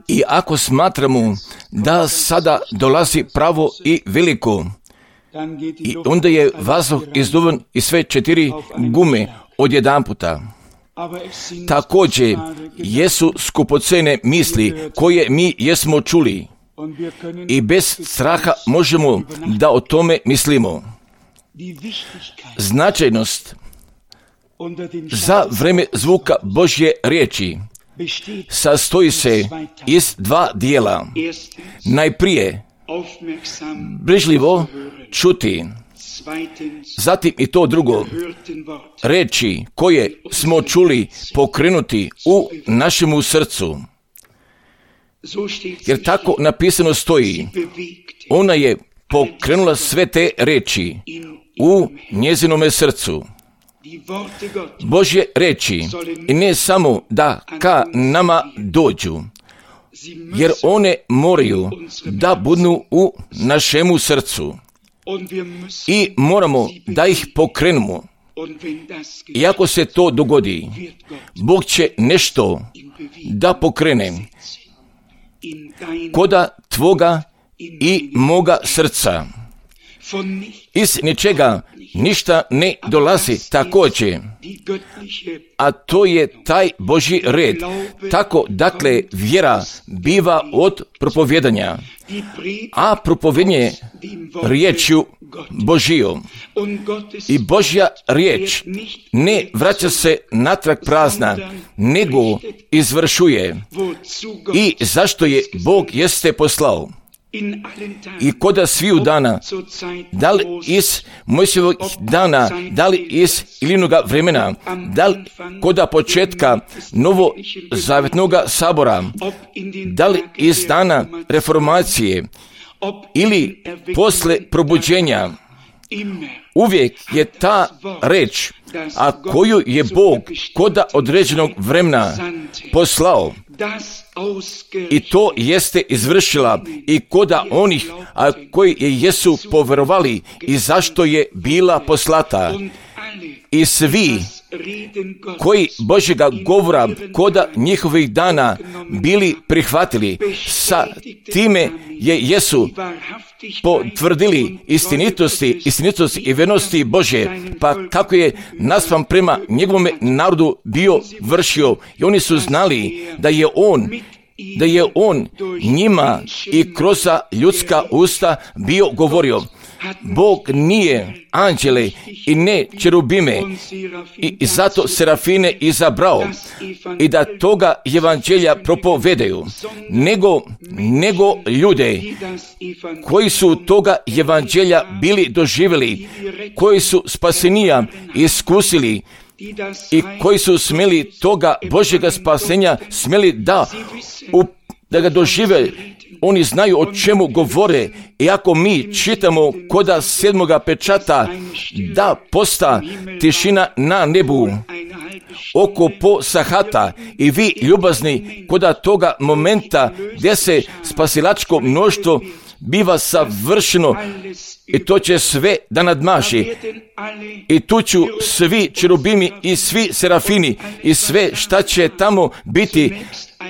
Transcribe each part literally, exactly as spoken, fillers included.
I ako smatramo da sada dolazi pravo i veliko, i onda je vazduh izduvan i sve četiri gume odjedanputa. Također jesu skupocene misli koje mi jesmo čuli i bez straha možemo da o tome mislimo. Značajnost za vreme zvuka Božje riječi sastoji se iz dva dijela. Najprije brižljivo čuti, zatim i to drugo, reči koje smo čuli pokrenuti u našemu srcu. Jer tako napisano stoji, ona je pokrenula sve te reči u njezinome srcu. Božje reči ne samo da ka nama dođu, jer one moraju da budu u našemu srcu i moramo da ih pokrenemo. I ako se to dogodi, Bog će nešto da pokrene koda tvoga i moga srca. Iz ničega ništa ne dolazi također, a to je taj Božji red. Tako, dakle, vjera biva od propovjedanja, a propovjedanje riječju Božijom. I Božja riječ ne vraća se natrag prazna, nego izvršuje. I zašto je Bog jeste poslao? I koda sviju dana, da li iz Mojsijevog dana, da li iz Ilinoga vremena, da li koda početka novozavjetnoga sabora, da li iz dana reformacije ili posle probuđenja, uvijek je ta reč, a koju je Bog koda određenog vremena poslao, i to jeste izvršila i koda onih a koji je jesu povjerovali i zašto je bila poslata. I svi koji Božjega govora koda njihovih dana bili prihvatili, sa time je jesu potvrdili istinitosti, istinitosti i vernosti Božje, pa kako je naspram prema njegovome narodu bio vršio, i oni su znali da je on da je on njima i kroz ljudska usta bio govorio. Bog nije anđele i ne čerubime i, i zato serafine izabrao i da toga evanđelja propovedaju, nego, nego ljude koji su toga evanđelja bili doživjeli, koji su spasenija iskusili i koji su smjeli toga Božjega spasenja smjeli da, u, da ga dožive. Oni znaju o čemu govore, i ako mi čitamo koda sedmoga pečata da posta tišina na nebu oko po sahata, i vi ljubazni koda toga momenta gdje se spasilačko mnoštvo biva savršeno, i to će sve da nadmaši, i tu ću svi čerubimi i svi serafini i sve šta će tamo biti,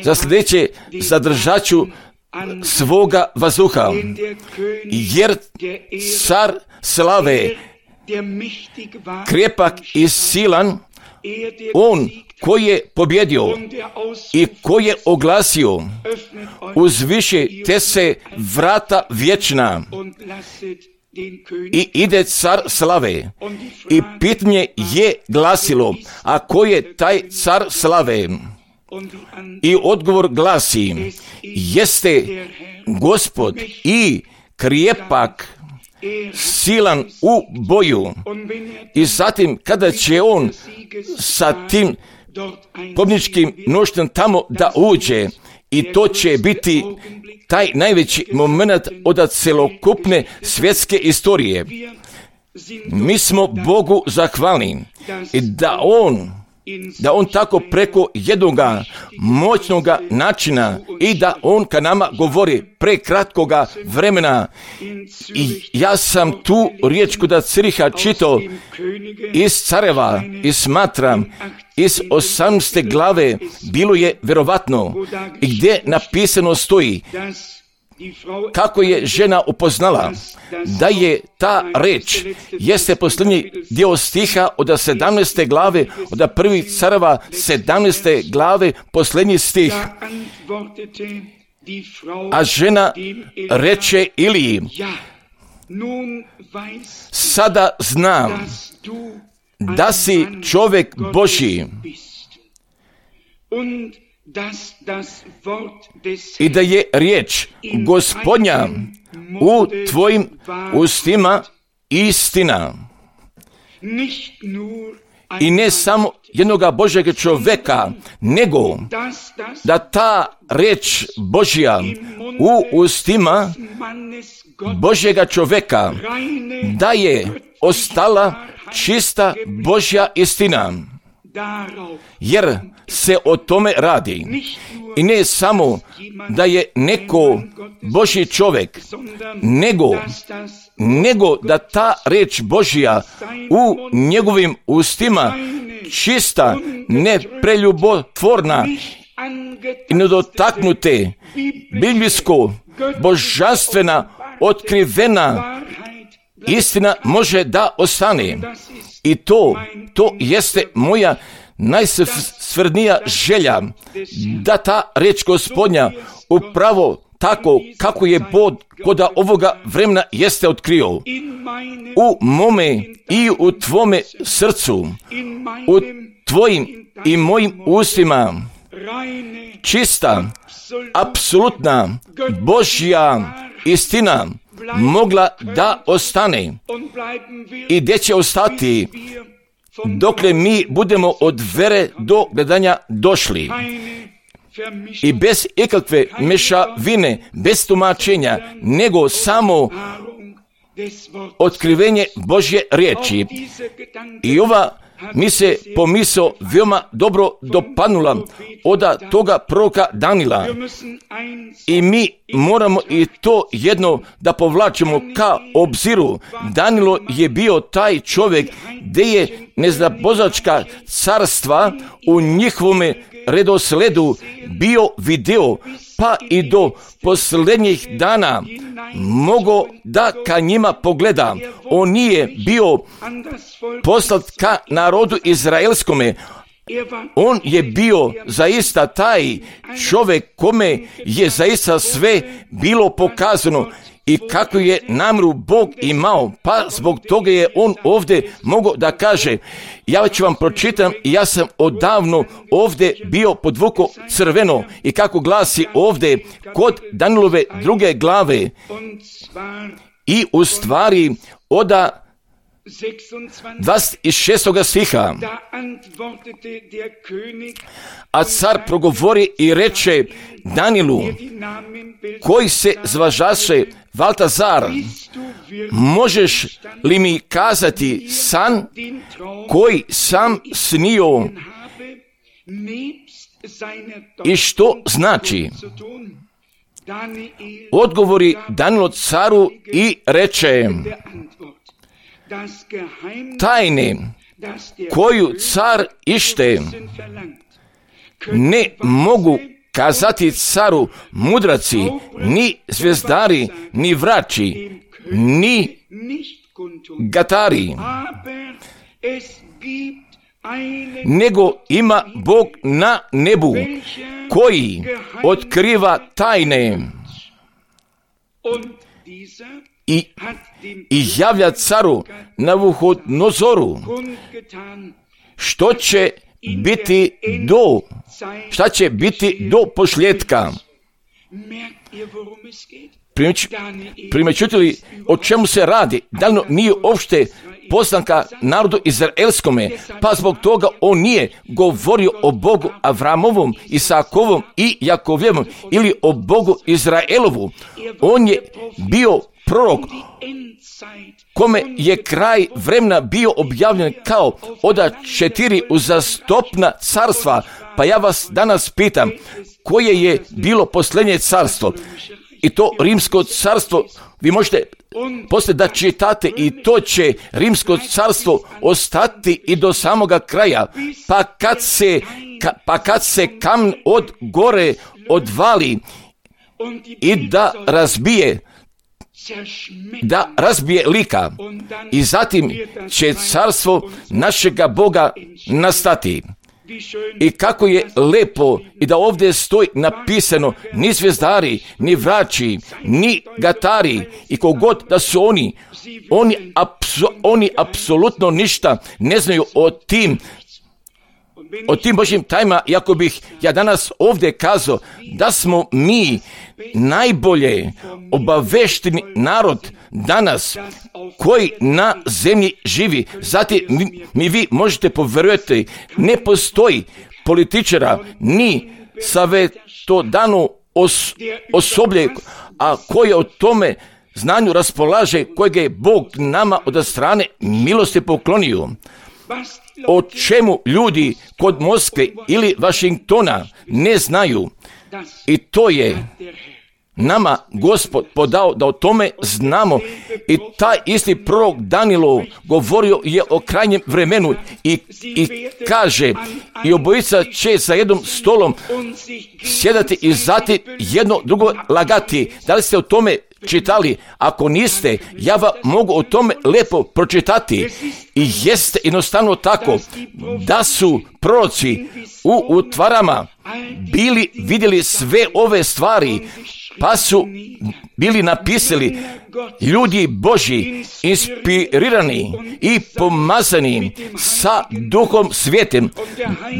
za sljedeće zadržaću svoga vazduha, jer car slave, krepak i silan, on koji je pobjedio i koji je oglasio, uzviše te se vrata vječna i ide car slave. I pitanje je glasilo, a ko je taj car slave? I odgovor glasi, jeste Gospod i krepak, silan u boju. I zatim kada će on sa tim pobjedničkim mnoštvom tamo da uđe, i to će biti taj najveći moment od celokupne svjetske istorije. Mi smo Bogu zahvalni i da on da on tako preko jednoga moćnoga načina i da on ka nama govori prekratkoga vremena. I ja sam tu riječ kod Ciriha čitao iz Careva i smatram iz osamnaeste glave bilo je vjerovatno, i gdje napisano stoji kako je žena upoznala da je ta reč, jeste posljednji dio stiha od sedamnaeste glave, od prvih careva sedamnaeste glave, posljednji stih. A žena reče Iliji, sada znam da si čovjek Božji i da je riječ Gospodnja u tvojim ustima istina. I ne samo jednoga Božjega čovjeka, nego da ta riječ Božja u ustima Božjega čovjeka, da je ostala čista Božja istina. Jer se o tome radi. I ne samo da je neko Božji čovjek, nego, nego da ta riječ Božja u njegovim ustima čista, nepreljubotvorna i nedotaknute, biblijsko, božanstvena, otkrivena istina može da ostane. I to, to jeste moja najsvrdnija želja, da ta riječ Gospodnja upravo tako kako je Bog kod ovoga vremena jeste otkrio u mome i u tvome srcu, u tvojim i mojim ustima, čista, apsolutna Božja istina mogla da ostane. I gdje će ostati dokle mi budemo od vere do gledanja došli. I bez ikakve mešavine, bez tumačenja, nego samo otkrivenje Božje riječi. I ova mi se pomisao veoma dobro dopadnula od toga proroka Danila. I mi moramo i to jedno da povlačimo ka obziru. Danilo je bio taj čovjek gdje je neznabozačka carstva u njihovome redosledu bio video, pa i do posljednjih dana mogo da ka njima pogleda. On nije bio poslat ka narodu izraelskome. On je bio zaista taj čovjek kome je zaista sve bilo pokazano i kako je namjeru Bog imao, pa zbog toga je on ovdje mogao da kaže, ja ću vam pročitam, ja sam odavno ovdje bio podvuko crveno, i kako glasi ovdje kod Danilove druge glave, i u stvari oda dvadeset šestog stiha. A car progovori i reče Danilu, koji se zvažaše Valtazar, možeš li mi kazati san koji sam snio i što znači? Odgovori Danilo caru i reče, tajne koju car ište ne mogu kazati caru mudraci, ni zvezdari, ni vrači, ni gatari, nego ima Bog na nebu koji otkriva tajne i, i javlja caru Navuhodnozoru što će biti do šta će biti do posljedka. Primećujete li o čemu se radi? Dalno nije uopšte poslanka narodu izraelskome, pa zbog toga on nije govorio o Bogu Avramovom, Isakovom i Jakovljevom ili o Bogu Izraelovu. On je bio prorok kome je kraj vremena bio objavljen kao oda četiri uzastopna carstva. Pa ja vas danas pitam, koje je bilo posljednje carstvo? i to rimsko carstvo, vi možete poslije da čitate, i to će rimsko carstvo ostati i do samoga kraja, pa kad se, ka, pa kad se kamen od gore odvali i da razbije, da razbije lika, i zatim će carstvo našega Boga nastati. I kako je lepo i da ovdje stoji napisano, ni zvijezdari, ni vrači, ni gatari, i kogod da su oni, oni, apsu, oni apsolutno ništa ne znaju o tim, o tim Božjim tajmama. Iako bih ja danas ovdje kazao da smo mi najbolje obavešteni narod danas koji na zemlji živi. Zatim mi, mi vi možete povjerovati, ne postoji političara ni savjetodavno os, osoblje, a koje o tome znanju raspolaže, kojeg je Bog nama od strane milosti poklonio. O čemu ljudi kod Moskve ili Vašingtona ne znaju, i to je nama Gospod podao da o tome znamo. I taj isti prorok Danilo govorio je o krajnjem vremenu i, i kaže, i obojica će za jednom stolom sjedati i zatim jedno drugo lagati. Da li ste o tome čitali? Ako niste, ja vam mogu o tome lepo pročitati. I jeste jednostavno tako da su proroci u utvarama bili vidjeli sve ove stvari, pa su bili napisali ljudi Božji, inspirirani i pomazani sa Duhom Svetim.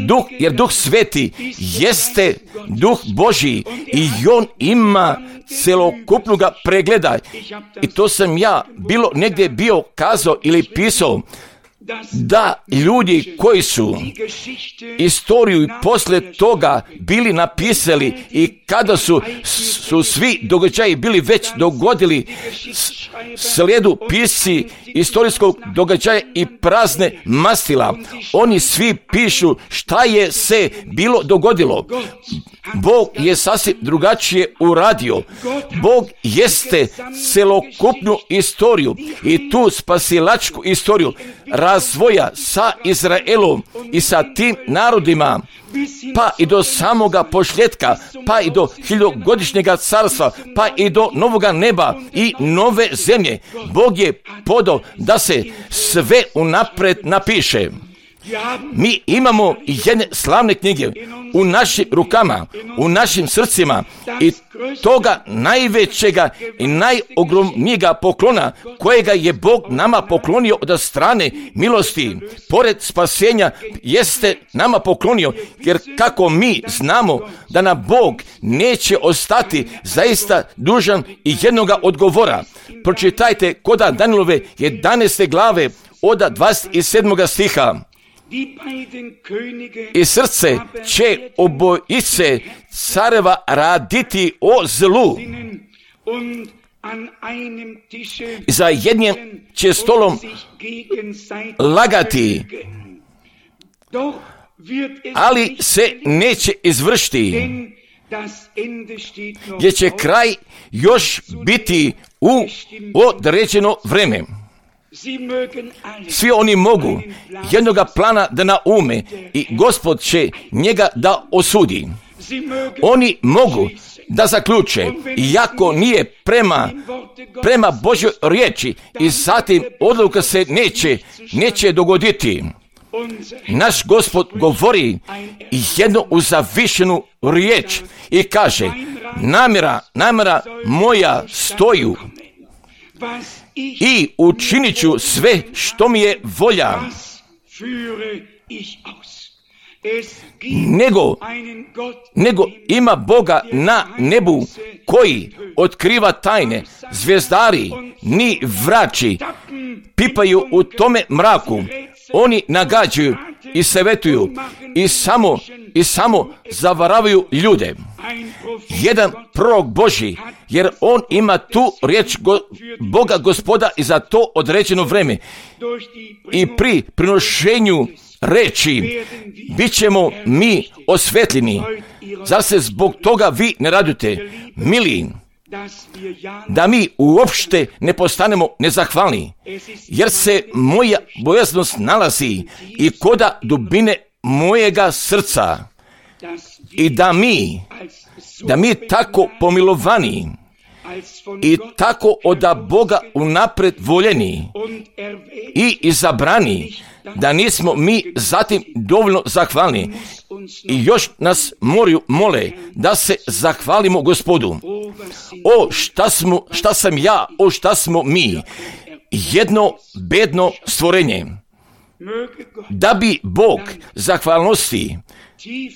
Duh, jer Duh Sveti jeste Duh Božji i on ima celokupnoga pregleda. I to sam ja bilo negdje bio kazao ili pisao, da ljudi koji su istoriju i poslije toga bili napisali, i kada su, su svi događaji bili već dogodili, slijedu pisci istorijskog događaja i prazne mastila. Oni svi pišu šta je se bilo dogodilo. Bog je sasvim drugačije uradio. Bog jeste celokupnu istoriju i tu spasilačku istoriju razvoja sa Izraelom i sa tim narodima, pa i do samoga pošljetka, pa i do hiljogodišnjega carstva, pa i do novoga neba i nove zemlje. Bog je podao da se sve unapred napiše. Mi imamo jedne slavne knjige u našim rukama, u našim srcima, i toga najvećega i najogromnijega poklona kojega je Bog nama poklonio od strane milosti, pored spasenja, jeste nama poklonio, jer kako mi znamo da nam Bog neće ostati zaista dužan i jednoga odgovora. Pročitajte koda Danilove jedanaeste glave od dvadeset sedmog stiha. I srce će obojice careva raditi o zlu, i za jednim će stolom lagati, ali se neće izvršiti, jer će kraj još biti u određeno vrijeme. Svi oni mogu jednoga plana da naume i Gospod će njega da osudi. Oni mogu da zaključe, iako nije prema, prema Božjoj riječi, i zatim odluka se neće, neće dogoditi. Naš Gospod govori jednu uzavišenu riječ i kaže, namjera, namjera moja stoju, i učinit ću sve što mi je volja. Nego, nego ima Boga na nebu koji otkriva tajne. Zvijezdari ni vrači pipaju u tome mraku. Oni nagađaju i savjetuju i samo, i samo zavaravaju ljude. Jedan prorok Božji, jer on ima tu riječ go, Boga Gospoda i za to određeno vrijeme. I pri prinošenju reći bit ćemo mi osvetljeni. Zar se zbog toga vi ne radite? Mili, da mi uopšte ne postanemo nezahvalni, jer se moja bojaznost nalazi i koda dubine mojega srca i da mi, da mi tako pomilovani i tako od Boga unapred voljeni i izabrani, da nismo mi zatim dovoljno zahvalni i još nas moraju mole da se zahvalimo Gospodu. O šta smo, šta sam ja, o šta smo mi, jedno bedno stvorenje. Da bi Bog zahvalnosti,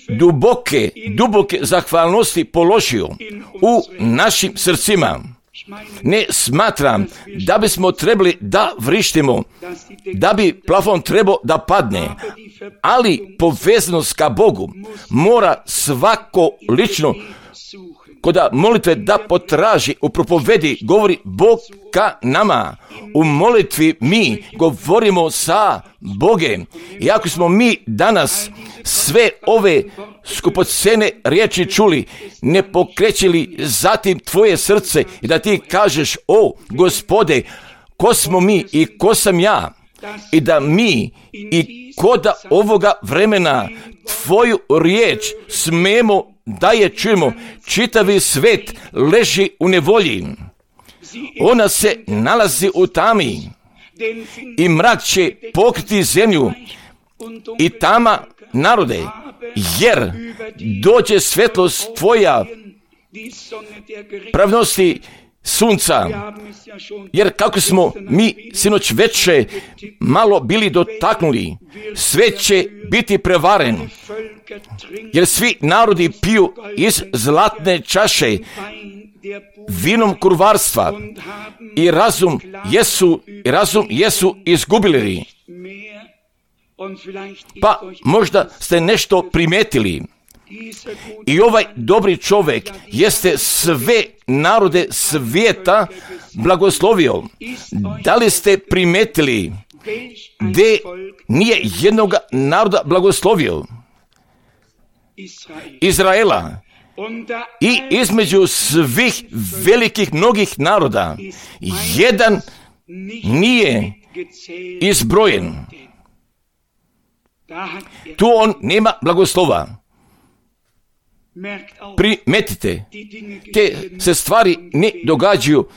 duboke, duboke zahvalnosti položio u našim srcima. Ne smatram da bismo trebali da vrištimo, da bi plafon trebao da padne, ali povezanost ka Bogu mora svako lično koda molitve da potraži, u propovedi govori Bog ka nama. U molitvi mi govorimo sa Bogem. I ako smo mi danas sve ove skupocene riječi čuli, ne pokrećili zatim tvoje srce i da ti kažeš, o Gospode, ko smo mi i ko sam ja, i da mi i koda ovoga vremena tvoju riječ smemo da je čujemo. Čitavi svet leži u nevolji. Ona se nalazi u tami i mrak će pokriti zemlju i tama narode, jer dođe svetlost tvoja pravnosti sunca. Jer kako smo mi sinoć veče malo bili dotaknuli, sve će biti prevaren, jer svi narodi piju iz zlatne čaše vinom kurvarstva i razum jesu, i razum jesu izgubili. Pa možda ste nešto primetili. I ovaj dobri čovjek jeste sve narode svijeta blagoslovio. Da li ste primetili gdje nije jednog naroda blagoslovio? Izraela. I između svih velikih mnogih naroda jedan nije izbrojen. Tu on nema blagoslova. Primetite, te se stvari ne događaju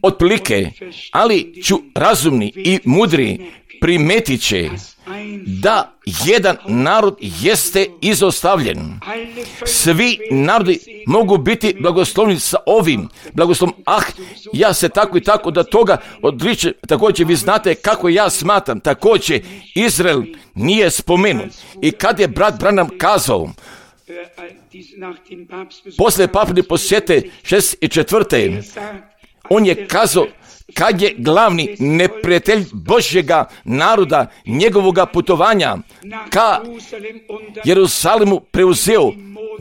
otprilike, ali ću razumni i mudri primetit će da jedan narod jeste izostavljen. Svi narodi mogu biti blagoslovni sa ovim blagoslovom. Ah, ja se tako i tako da toga odričem. Također vi znate kako ja smatram. Također Izrael nije spomenut. I kad je brat Branham kazao, poslije papine posjete šest i četvrte, on je kazao kad je glavni neprijatelj Božjega naroda, njegovoga putovanja ka Jerusalimu preuzeo,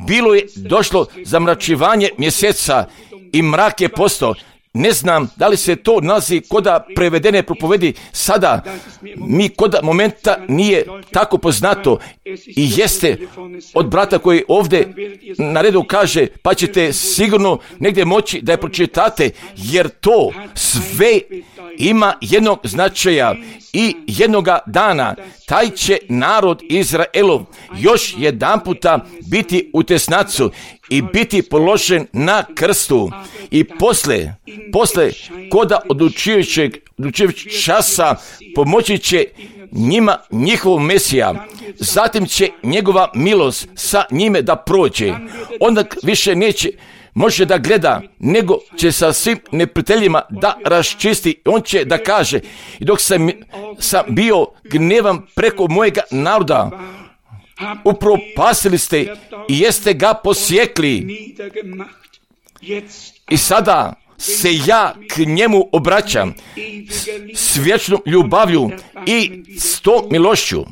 bilo je došlo zamračivanje mjeseca i mrak je postao. Ne znam da li se to nalazi koda prevedene propovedi sada. Mi koda momenta nije tako poznato i jeste od brata koji ovdje na redu kaže, pa ćete sigurno negdje moći da je pročitate, jer to sve ima jednog značaja i jednoga dana taj će narod Izraelov još jedan puta biti u tesnacu i biti položen na krstu i posle, posle koda odlučujućeg, odlučujućeg časa pomoći će njima njihov Mesija, zatim će njegova milost sa njime da prođe, onda više neće može da gleda, nego će sa svim neprijateljima da raščisti. On će da kaže, i dok sam, sam bio gnevan preko mojega naroda, upropastili ste i jeste ga posjekli. I sada se ja k njemu obraćam s vječnom ljubavlju i s tom milošću.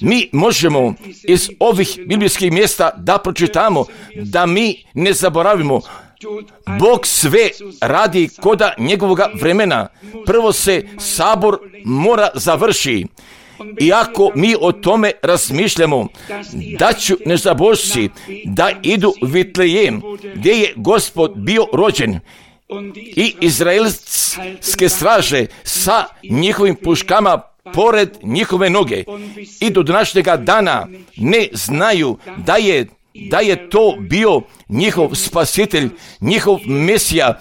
Mi možemo iz ovih biblijskih mjesta da pročitamo, da mi ne zaboravimo. Bog sve radi koda njegovoga vremena. Prvo se sabor mora završi I ako mi o tome razmišljamo, da ću nezabožci da idu u Vitlejem, gdje je Gospod bio rođen, i izraelske straže sa njihovim puškama pored njihove noge, i do današnjega dana ne znaju da je, da je to bio njihov spasitelj, njihov Mesija,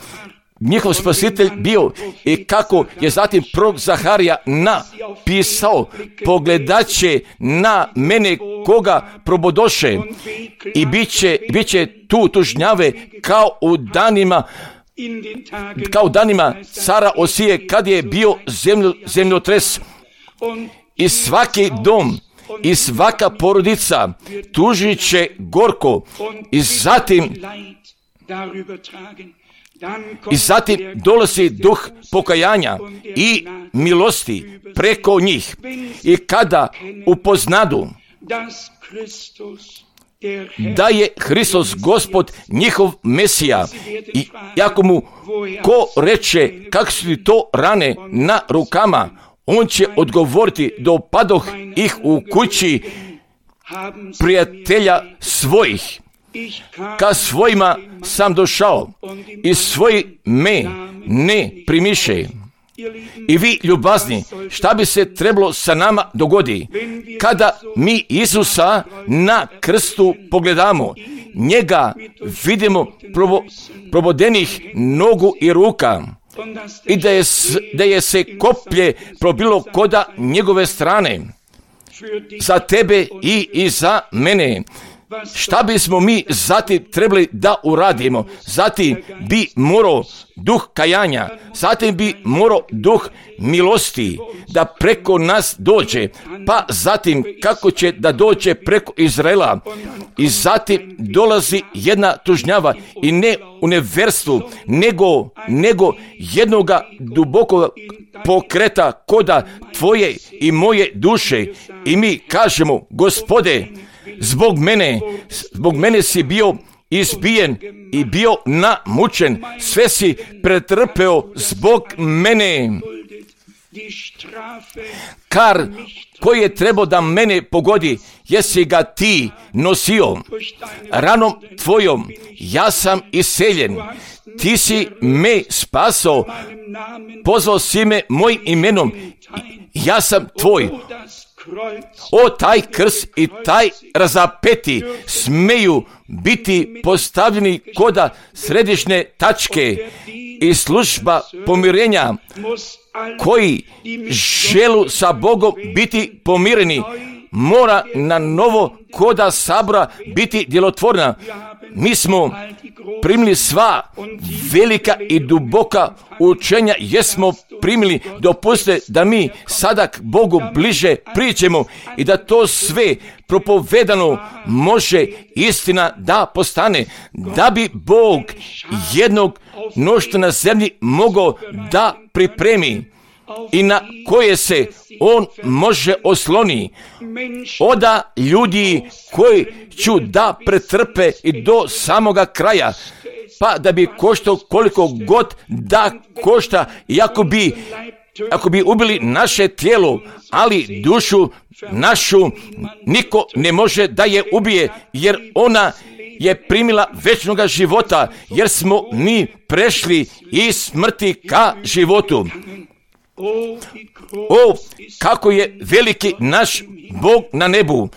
njihov spasitelj bio. I kako je zatim prorok Zaharija napisao: pogledaće na mene koga probodoše, i bit će, bit će tu tužnjave kao u danima kao danima cara Osije, kad je bio zemljo, zemljotres. I svaki dom i svaka porodica tužit će gorko, i zatim I zatim dolazi duh pokajanja i milosti preko njih. I kada upoznadu da je Hristos Gospod njihov Mesija, i ako mu ko reče kako su ti to rane na rukama, on će odgovoriti: dopadoh ih u kući prijatelja svojih. Ka svojima sam došao, i svoji me ne primiše. I vi, ljubazni, šta bi se trebalo sa nama dogodi kada mi Isusa na krstu pogledamo, njega vidimo probo, probodenih nogu i ruka, i da je, da je se koplje probilo koda njegove strane, za tebe i, i za mene. Šta bismo mi zatim trebali da uradimo? Zatim bi morao duh kajanja, zatim bi morao duh milosti da preko nas dođe, pa zatim kako će da dođe preko Izraela. I zatim dolazi jedna tužnjava, i ne u neverstvu, nego, nego jednoga dubokog pokreta koda tvoje i moje duše. I mi kažemo: Gospode, zbog mene, zbog mene si bio izbijen i bio namučen, sve si pretrpeo zbog mene. Kar koji je trebao da mene pogodi, jesi ga ti nosio. Ranom tvojom ja sam iseljen. Ti si me spasao, pozvao si me mojim imenom, ja sam tvoj. O, taj krst i taj razapeti smeju biti postavljeni koda središnje tačke, i služba pomirenja koji želu sa Bogom biti pomireni mora na novo koda sabora biti djelotvorna. Mi smo primili sva velika i duboka učenja, jesmo primili. Dopustite da mi sada k Bogu bliže pričemo i da to sve propovedano može istina da postane, da bi Bog jednog mnoštva na zemlji mogao da pripremi i na koje se on može osloni. Oda ljudi koji ću da pretrpe i do samoga kraja, pa da bi koštao koliko god da košta, i ako bi, ako bi ubili naše tijelo, ali dušu našu niko ne može da je ubije, jer ona je primila večnoga života, jer smo mi prešli iz smrti ka životu. O, kako je veliki naš Bog na nebu,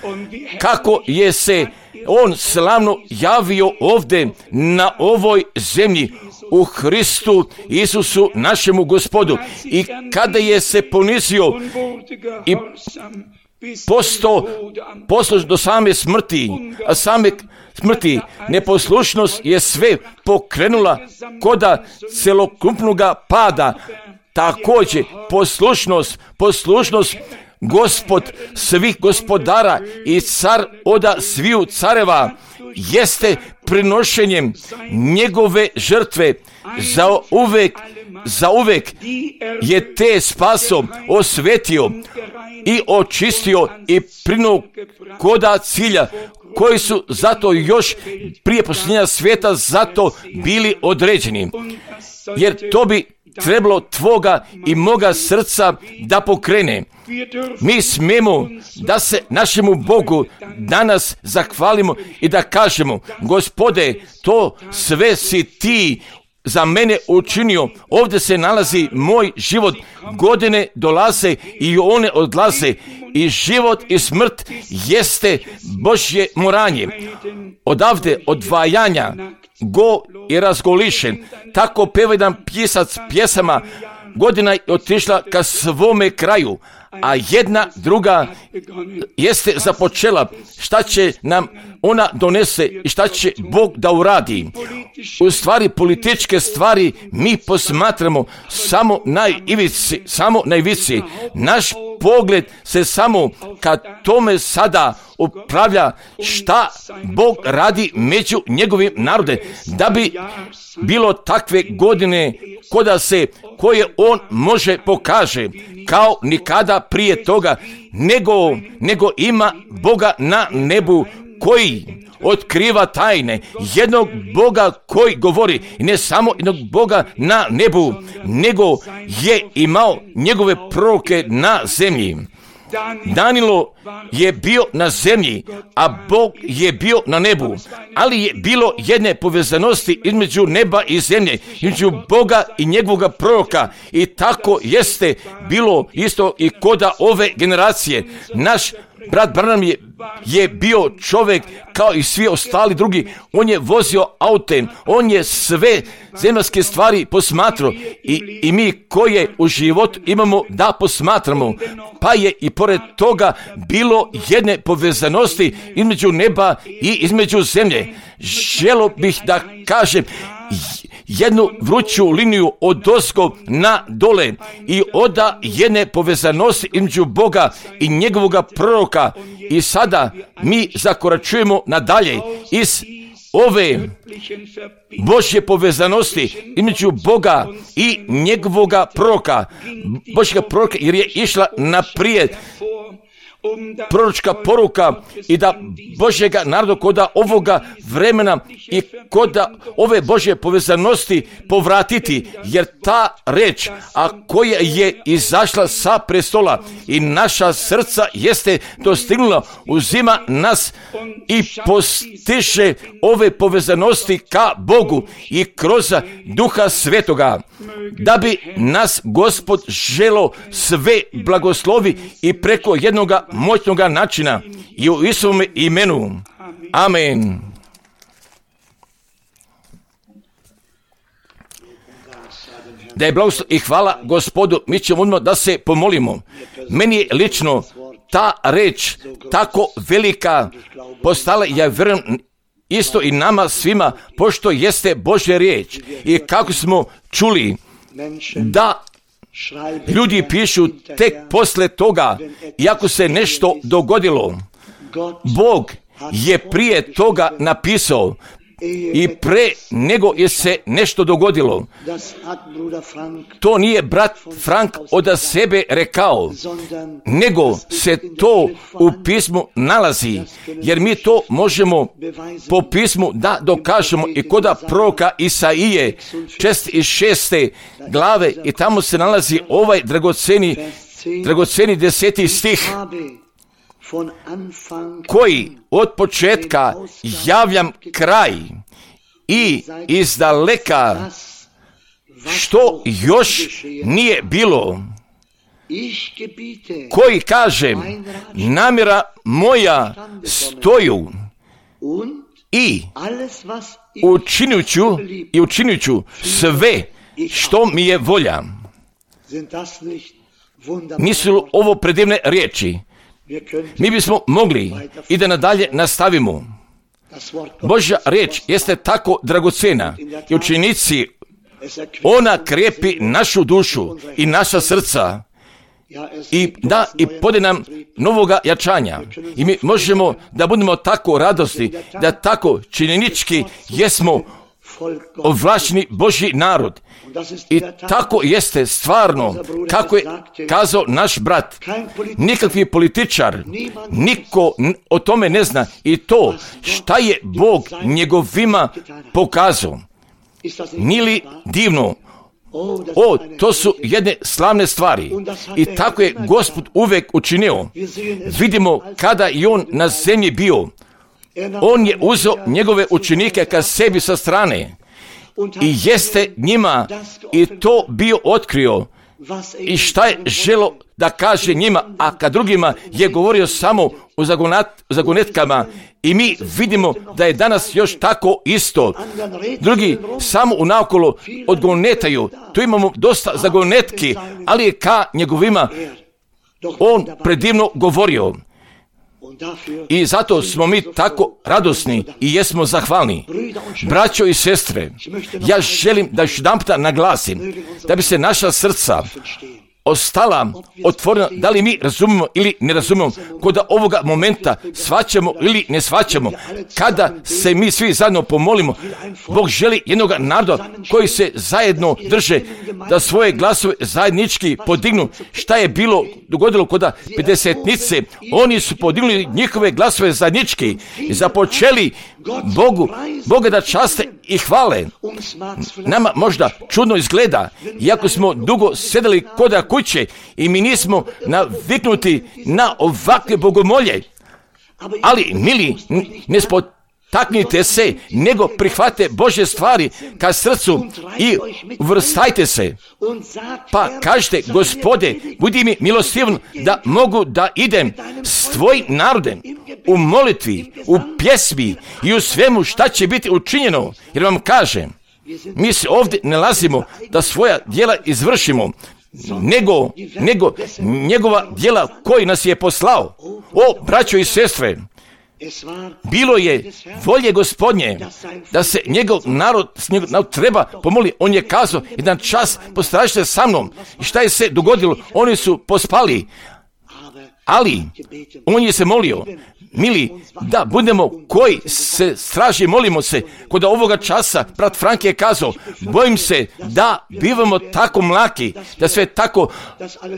kako je se on slavno javio ovdje na ovoj zemlji u Hristu Isusu našemu Gospodu, i kada je se ponizio i posto poslušan do same smrti, a same smrti neposlušnost je sve pokrenula koda celokupnoga pada. Također poslušnost, poslušnost Gospod svih gospodara i car oda sviju careva jeste prinošenjem njegove žrtve. Za uvek, za uvek je te spaso osvetio i očistio i prinuo koda cilja, koji su zato još prije posljednja svijeta zato bili određeni. Jer to bi trebalo tvoga i moga srca da pokrene. Mi smijemo da se našemu Bogu danas zahvalimo i da kažemo: Gospode, to sve si ti za mene učinio. Ovdje se nalazi moj život. Godine dolaze i one odlaze. I život i smrt jeste Božje moranje. Odavde odvajanja go i razgolišen. Tako peva jedan pisac pjesama. Godina je otišla ka svome kraju, a jedna druga jeste započela. Šta će nam ona donese i šta će Bog da uradi? U stvari političke stvari mi posmatramo samo na ivici, samo na ivici. Naš pogled se samo ka tome sada upravlja šta Bog radi među njegovim narode, da bi bilo takve godine koda se koje on može pokaže kao nikada prije toga, nego, nego ima Boga na nebu koji otkriva tajne, jednog Boga koji govori, i ne samo jednog Boga na nebu, nego je imao njegove proroke na zemlji. Danilo je bio na zemlji, a Bog je bio na nebu, ali je bilo jedne povezanosti između neba i zemlje, između Boga i njegovog proroka, i tako jeste bilo isto i koda ove generacije. Naš brat Branham je, je bio čovjek kao i svi ostali drugi. On je vozio autem, on je sve zemaljske stvari posmatrao, i, i mi koje u životu imamo da posmatramo. Pa je i pored toga bilo jedne povezanosti između neba i između zemlje. Želio bih da kažem jednu vruću liniju od ozgo na dole i oda jedne povezanosti između Boga i njegovog proroka. I sada mi zakoračujemo nadalje iz ove Božje povezanosti između Boga i njegovog proroka. Božjega proroka, jer je išla naprijed proročka poruka i da Božjega naroda koda ovoga vremena i koda ove Božje povezanosti povratiti, jer ta reč, a koja je izašla sa prestola i naša srca jeste dostignula, uzima nas i postiže ove povezanosti ka Bogu i kroz Duha Svetoga, da bi nas Gospod želo sve blagoslovi i preko jednoga moćnoga načina, i u Isusovom imenu. Amen. Da je blagoslov i hvala Gospodu. Mi ćemo odmah da se pomolimo. Meni je lično ta reč tako velika postala, ja vjerujem isto i nama svima, pošto jeste Božja riječ. I kako smo čuli da ljudi pišu tek posle toga, iako se nešto dogodilo. Bog je prije toga napisao i pre nego je se nešto dogodilo. To nije brat Frank od sebe rekao, nego se to u pismu nalazi, jer mi to možemo po pismu da dokažemo i koda proroka Isaije četrdeset šeste glave, i tamo se nalazi ovaj dragoceni, dragoceni deseti stih, koji od početka javljam kraj i izdaleka što još nije bilo, koji kažem namjera moja stoju i učinit ću i učinit ću sve što mi je volja. Nisu li ovo predivne riječi? Mi bismo mogli i da nadalje nastavimo. Božja riječ jeste tako dragocena i učenici, ona krepi našu dušu i naša srca i da i pode nam novoga jačanja. I mi možemo da budemo tako radosni, da tako činjenički jesmo ovlašćeni Božji narod. I tako jeste stvarno, kako je kazao naš brat. Nikakvi političar, niko o tome ne zna, i to šta je Bog njegovima pokazao. Nije li divno? O, to su jedne slavne stvari. I tako je Gospod uvek učinio. Vidimo kada je on na zemlji bio. On je uzeo njegove učenike ka sebi sa strane i jeste njima i to bio otkrio i šta je želo da kaže njima, a ka drugima je govorio samo o zagonetkama. I mi vidimo da je danas još tako isto. Drugi samo unaokolo odgonetaju. Tu imamo dosta zagonetki, ali je ka njegovima on predivno govorio. I zato smo mi tako radosni i jesmo zahvalni. Braćo i sestre, ja želim da još jedan puta naglasim da bi se naša srca ostala otvorena, da li mi razumemo ili ne razumemo, kod ovoga momenta shvaćamo ili ne shvaćamo, kada se mi svi zajedno pomolimo, Bog želi jednog naroda koji se zajedno drže, da svoje glasove zajednički podignu. Šta je bilo dogodilo kod pedesetnice? Oni su podignuli njihove glasove zajednički i započeli Bogu, Boga da časte i hvale. Nama možda čudno izgleda, iako smo dugo sedeli kod kuće i mi nismo naviknuti na ovakve bogomolje. Ali, mili, ne spotaknite se, nego prihvate Božje stvari ka srcu i vrstajte se. Pa kažete, Gospode, budi mi milostivan da mogu da idem s tvojim narodem u molitvi, u pjesmi i u svemu šta će biti učinjeno. Jer vam kažem, mi se ovdje nalazimo da svoja djela izvršimo, nego, nego njegova djela koji nas je poslao. O, braćo i sestre, bilo je volje Gospodnje da se njegov narod, njegov narod treba pomoli. On je kazao, jedan čas postražite sa mnom. I šta je se dogodilo? Oni su pospali. Ali on je se molio, mili, da budemo koji se straži, molimo se. Kod ovoga časa, brat Frank je kazao, bojim se da bivamo tako mlaki, da sve tako,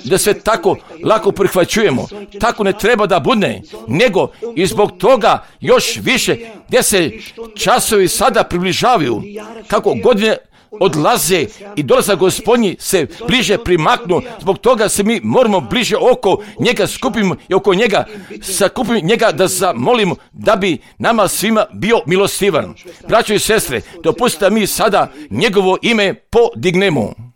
da sve tako lako prihvaćujemo. Tako ne treba da bude, nego i zbog toga još više, gdje se časovi sada približavaju, kako godine odlaze i dolazak Gospodnji se bliže primaknu, zbog toga se mi moramo bliže oko njega skupimo i oko njega sakupimo njega da zamolimo da bi nama svima bio milostivan. Braćo i sestre, dopustite mi sada njegovo ime podignemo.